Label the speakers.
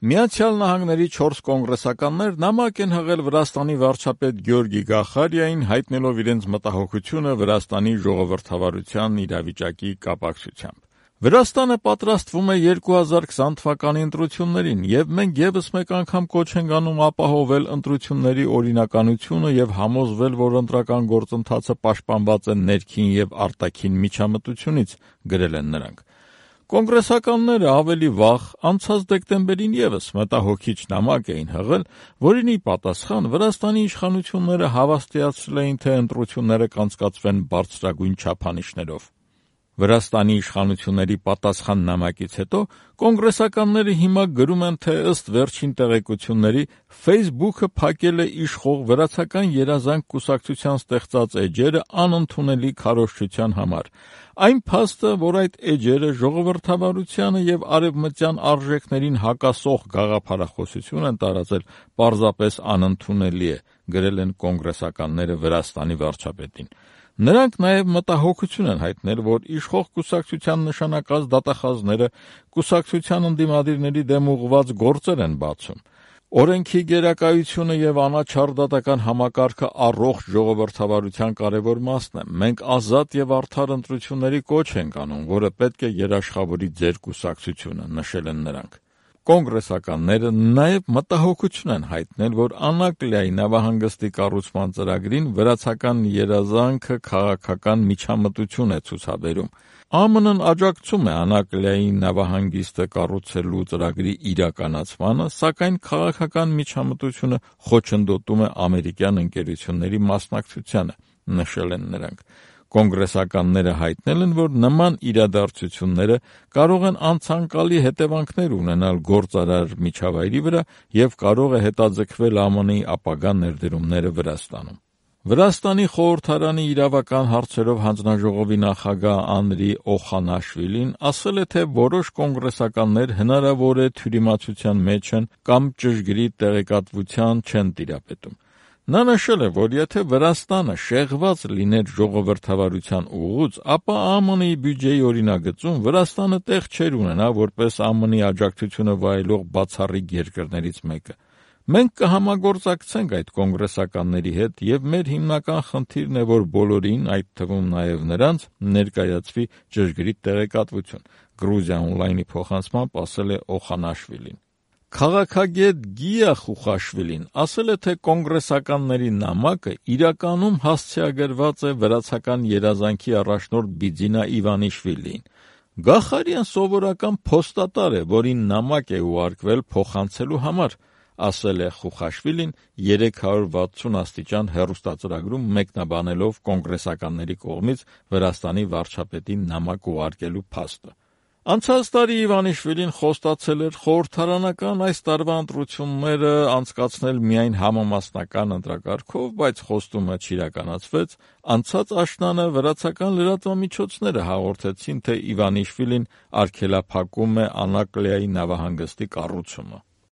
Speaker 1: Միացյալ Նահանգների 4 կոնգրեսականներ նամակ են հղել Վրաստանի վարչապետ Գյորգի Գախարիային, հայտնելով իրենց մտահոգությունը Վրաստանի ժողովրդավարության իրավիճակի կապակցությամբ։ Վրաստանը պատրաստվում է 2020 թվականի ընտրություններին, եւ մենք եւս մեկ անգամ կոչ ենք անում ապահովել ընտրությունների օրինականությունը եւ համոզվել, որ ընտրական գործընթացը պաշտպանված է ներքին եւ արտաքին միջամտությունից, գրել են նրանք։ Կոնգրեսականները ավելի վաղ, անցած դեկտեմբերին եւս մտահոգիչ նամակ էին հղել, որին ի պատասխան Վրաստանի իշխանությունները հավաստիացրել էին, թե ընտրությունները կանցկացվեն բարձրագույն չափանիշներով։ Վրաստանի իշխանությունների պատասխան նամակից հետո կոնգրեսականները հիմա գրում են, թե ըստ վերջին տեղեկությունների Facebook-ը փակել է իշխող վրացական երազանք կուսակցության ստեղծած էջերը անընդունելի քարոզչության համար։ Այն փաստը, որ այդ էջերը ժողովրդավարությանը եւ արևմտյան արժեքներին հակասող գաղափարախոսություն են տարածել, պարզապես անընդունելի է, գրել են կոնգրեսականները Վրաստանի վարչապետին։ Նրանք նաև մտահոգություն են հայտնել, որ իշխող կուսակցության նշանակած դատախազները կուսակցության ընդդիմադիրների դեմ ուղղված գործեր են բացում։ Օրենքի գերակայությունը եւ անաչառ դատական համակարգը առողջ ժողովրդավարության կարևոր մասն է։ Մենք ազատ եւ արդար ընտրությունների կոչ ենք անում, որը պետք է երաշխավորի ձեր կուսակցությունը, նշել են նրանք։ Կոնգրեսականները նաև մտահոգություն են հայտնել, որ Անակլիայի նավահանգստի կառուցման ծրագրին վրացական երազանքը քաղաքական միջամտություն է ցուցաբերում։ ԱՄՆ-ն աջակցում է Անակլիայի նավահանգիստը կառուցելու ծրագրի իրականացմանը, սակայն քաղաքական միջամտությունը խոչընդոտում է ամերիկյան ընկերությունների մասնակցությանը, նշել են նրանք։ Կոնգրեսականները հայտնել են, որ նման իրադարձությունները կարող են անցանկալի հետևանքներ ունենալ գործարար միջավայրի վրա եւ կարող է հետաձգվել ԱՄՆ-ի ապագա ներդրումները Վրաստանում։ Վրաստանի խորհրդարանի իրավական հարցերով հանձնաժողովի նախագահ Անդրի Օխանաշվիլին ասել է, թե որոշ կոնգրեսականներ հնարավոր է թյուրիմացության մեջ են կամ ճշգրիտ տեղեկատվության չեն տիրապետում։ Նա նշել է, որ եթե Վրաստանը շեղված լիներ ժողովրդավարության ուղուց, ապա ԱՄՆ-ի բյուջեի օրինագծում Վրաստանը տեղ չէր ունենա որպես ԱՄՆ-ի աջակցությունը վայելող բացառիկ երկրներից մեկը։ Մենք կհամագործակցենք այդ կոնգրեսականների հետ եւ մեր հիմնական խնդիրն է, որ բոլորին, այդ թվում նաեւ նրանց, ներկայացվի ճշգրիտ տեղեկատվություն, Գրուզիա Օնլայնի փոխանցմամբ ասել է Օխանաշվիլին։ Քաղաքագետ Գիա Խուխաշվիլին ասել է, թե կոնգրեսականների նամակը իրականում հասցեագրված է վրացական երազանքի առաջնորդ Բիձինա Իվանիշվիլիին։ Գախարիան սովորական փոստատար է, որին նամակ է ուղարկվել փոխանցելու համար, ասել է Խուխաշվիլին 360 աստիճան հեռուստածրագրում մեկնաբանելով կոնգրեսականների կողմից Վրաստանի վարչապետին նամակ ուղարկելու փաստը։ Անցած տարի Իվանիշվիլին խոստացել էր խորհրդարանական այս տարվա ընտրությունները անցկացնել միայն համամասնական ընտրակարգով, բայց խոստումը չիրականացվեց։ Անցած աշնանը վրացական լրատվամիջոցները հաղորդեցին, թե Իվանիշվիլին արգելափակում է Անակլիայի նավահանգստի կառուցումը։